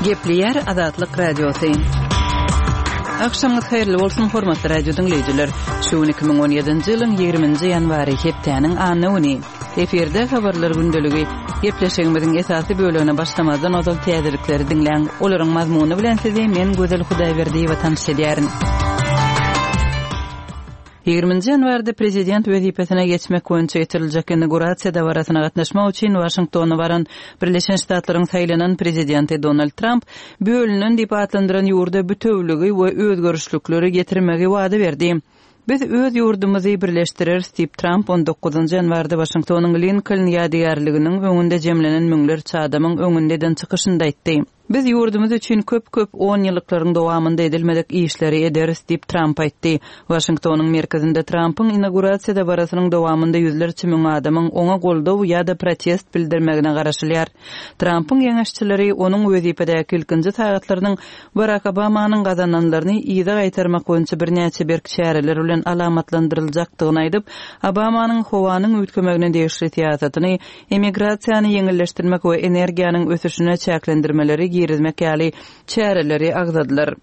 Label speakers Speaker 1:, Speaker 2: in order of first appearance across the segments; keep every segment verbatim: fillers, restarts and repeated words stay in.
Speaker 1: Gepleýär Azatlyk Radiosy. Agşamyňyz haýyrly bolsun, hormatly radio diňleýjiler. Şu gün iki müň on ýedinji ýylyň ýigriminji ýanwary, hepdäniň anna güni. Efirde habarlar gündeligi. Gepleşigimiziň esasy bölegine başlamazdan ozal täzelikleri diňläň. Olaryň mazmuny bilen sizi men Gözel Hudaýberdiýewa tanyş edýärin. Ýigriminji ýanwarda prezident wezipesine geçmek boýunça geçiriljek inaugurasiýa dabarasyna gatnaşmak üçin Waşingtona baran Birleşen Ştatlaryň saýlanan prezidenti Donald Tramp bölünen diýip atlandyran ýurda bütewligi we özgerişlikleri getirmegi wada berdi. Biz öz ýurdumyzy birleşdireris diýip Tramp on dokuzynjy ýanwarda Waşingtonyň Linkoln ýadygärliginiň öňünde jemlenen müňlerçe adamyň öňünde eden çykyşynda aýtdy. Biz ýurdumyz üçin köp-köp on ýyllyklaryň dowamynda edilmedik işleri ederis diýip Tramp aýtdy. Waşingtonyň merkezinde Trampyň inaugurasiýa dabarasynyň dowamynda ýüzlerçe müň adamyň oňa goldaw ýa-da protest bildirmegine garaşylýar. Trampyň geňeşçileri onuň wezipedäki ilkinji sagatlarynyň Barack Obamanyň gazananlaryny yza gaýtarmak boýunça birnäçe berk çäreler bilen alamatlandyryljakdygyny aýdyp, Obamanyň howanyň üýtgemegine degişli syýasatyny, emigrasiýany ýeňilleşdirmek we energiýanyň ösüşine çäklendirmeleri girizmek ýaly çäreleri agzadylar.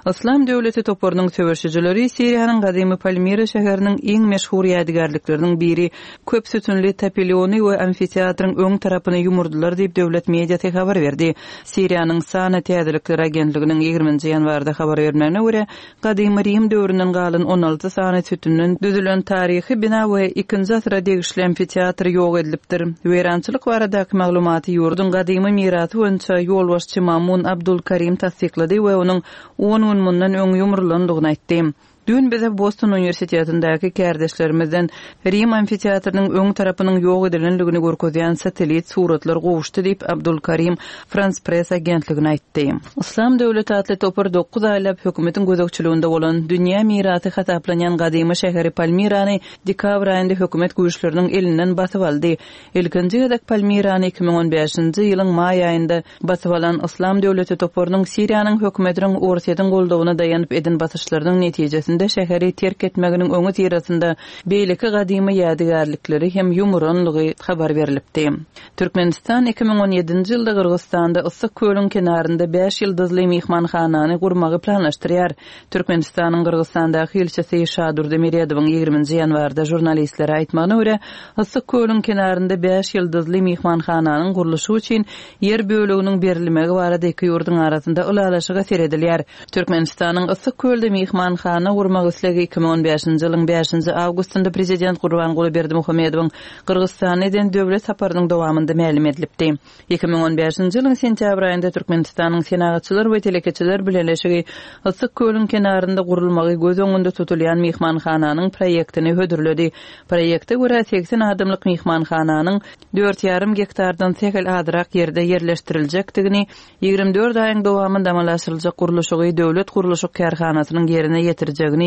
Speaker 1: Yslam döwleti toparynyň söweşijileri Siriýanyň gadymy Palmira şäheriniň iň meşhur ýadygärlikleriniň biri köp sütünli tapiliony we amfiteatryň öň tarapyny ýumurdylar diýip döwlet mediasy habar berdi. Siriýanyň Sana täzelikler agentliginiň ýigriminji ýanwarda habar bermegine görä, gadymy Rim döwründen galan on alty sany sütünden düzülen taryhy bina we ikinji asyra degişli amfiteatr ýok edilipdir. Weýrançylyk baradaky maglumaty ýurduň gadymy mirasy boýunça ýolbaşçy Mamun Abdul Karim tassyklady we onuň on gün mundan öň ýumrulandygyny aýtdy. Dün bize Boston Universitetindäki kärdeşlerimizden Rim amfiteatrynyň öň tarapynyň ýok edilendigini görkezýän satellit suratlar gowuşdy diýip Abdul Karim France Press agentligine aýtdy. Yslam döwleti atly topar dokuz aýlap hökümetiň gözegçiliginde bolan dünýä mirasy hasaplanýan gadymy şäheri Palmirany dekabr aýynda hökümet güýçleriniň elinden basyp aldy. Ilkinji gezek Palmirany iki müň on bäşinji ýylyň maý aýynda basyp alan Yslam döwleti toparynyň Siriýanyň hökümetiniň Orsýetiň goldawyna daýanyp eden basyşlarynyň netijesinde şäheri terk etmeginiň öňi syrasynda beýleki gadymy ýadygärlikleri hem ýumuranlygy habar berilipdi. Türkmenistan iki müň on ýedinji ýylda Gyrgyzystanda Issyk kölüň kenarynda bäş ýyldyzly myhmanhanany gurmagy planlaşdyrýar. Türkmenistanyň Gyrgyzystandaky ilçisi Şadurdy Meredowyň ýigriminji ýanwarda žurnalistlere aýtmagyna görä, Issyk kölüň kenarynda bäş ýyldyzly myhmanhananyň gurluşy üçin ýer böleginiň berilmegi barada iki ýurduň arasynda ylalaşyga seredilýär. Türkmenistanyň Issyk kölde myhmanhana gurmak islegi iki müň on bäşinji ýylyň bäşinji awgustynda prezident Gurbanguly Berdimuhamedowyň Gyrgyzystana eden döwlet saparynyň dowamynda mälim edilipdi. Iki müň on bäşinji ýylyň sentýabr aýynda Türkmenistanyň Senagatçylar we Telekeçiler Bileleşigi Issyk kölüň kenarynda gurulmagy göz öňünde tutulýan myhmanhananyň proýektini hödürledi. Proýekte görä seksen adamlyk myhmanhananyň dört ýarym gektardan sähel azrak ýerde ýerleşdiriljekdigini, ýigrimi dört aýyň dowamynda amala aşyryljak gurluşygy döwlet gurluşyk kärhanasynyň ýerine ýetirjegini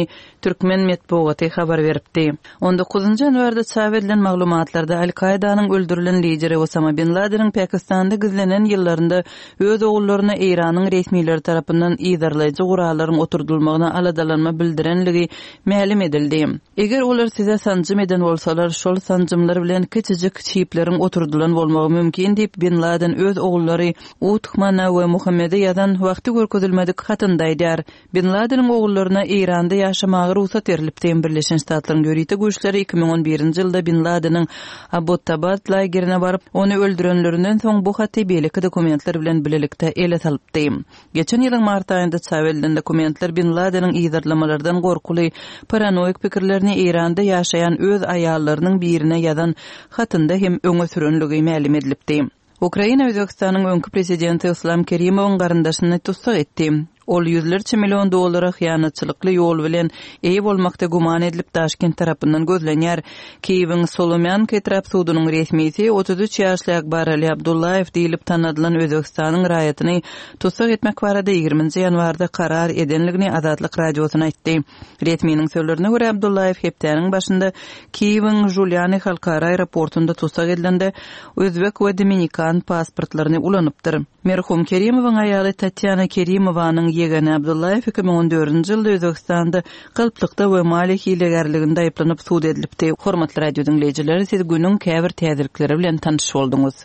Speaker 1: Türkmen metbugaty habar beripdi. On dokuzynjy ýanwarda çap edilen maglumatlarda Al-Kaidanyň öldürilen lideri Osama bin Ladeniň Pakistanda gizlenen ýyllarynda öz ogullaryna Eýranyň resmileri tarapyndan yzarlaýjy gurallaryň oturdulmagyna aladalanma bildirenligi mälim edildi. Eger olar size sanjym eden bolsalar, şol sanjymlar bilen kiçijik çipleriň oturdylan bolmagy mümkin diýip Bin Laden öz ogullary Uthmana we Muhammede ýazan wagty görkezilmedik hatynda aýdar. Bin Ladeniň ogullaryna Eýranda ýaşamaga rugsat berilipdi. Birleşen Ştatlaryň ýörite güýçleri iki müň on birinji ýylda Bin Ladeniň Abbottabad lagerine baryp, ony öldürenlerinden soň bu haty beýleki dokumentler bilen bilelikde ele salypdy. Geçen ýylyň mart aýynda çap edilen dokumentler Bin Ladeniň yzarlamalardan gorkuly paranoik pikirlerini Eýranda ýaşaýan öz aýallarynyň birine ýazan hatynda hem öňe sürenligi mälim edilipdi. Ukraina Özbekistanyň öňki prezidenti Islam Kerimowyň garyndaşyny tussag etdi. Ol ýüzlerçe million dollara hyýanatçylykly ýol bilen eýe bolmakda güman edilip Daşkent tarapyndan gözlenýär. Kiýewiň Solomýanka etrap sudunyň resmisi otuz üç ýaşly Akbarali Abdullaýew diýilip tanadylan Özbekistanyň raýatyny tussag etmek barada ýigriminji ýanwarda karar edenligini Azatlyk radiosyna aýtdy. Resminiň sözlerine görä Abdullaýew hepdäniň başynda Kiýewiň Žuliani halkara aeroportunda tussag edilende Özbek we Dominikan pasportlaryny ulanypdyr. Merhum Kerimowyň aýaly Tatýana Kerimowanyň ýegeni Abdullaýew iki müň on dördünji ýylda Özbekistanda galplykda we maliýe hilegärliginde aýyplanyp sud edilipdi. Hormatly radio diňleýjiler, siz günüň käbir täzelikleri bilen tanyş bolduňyz.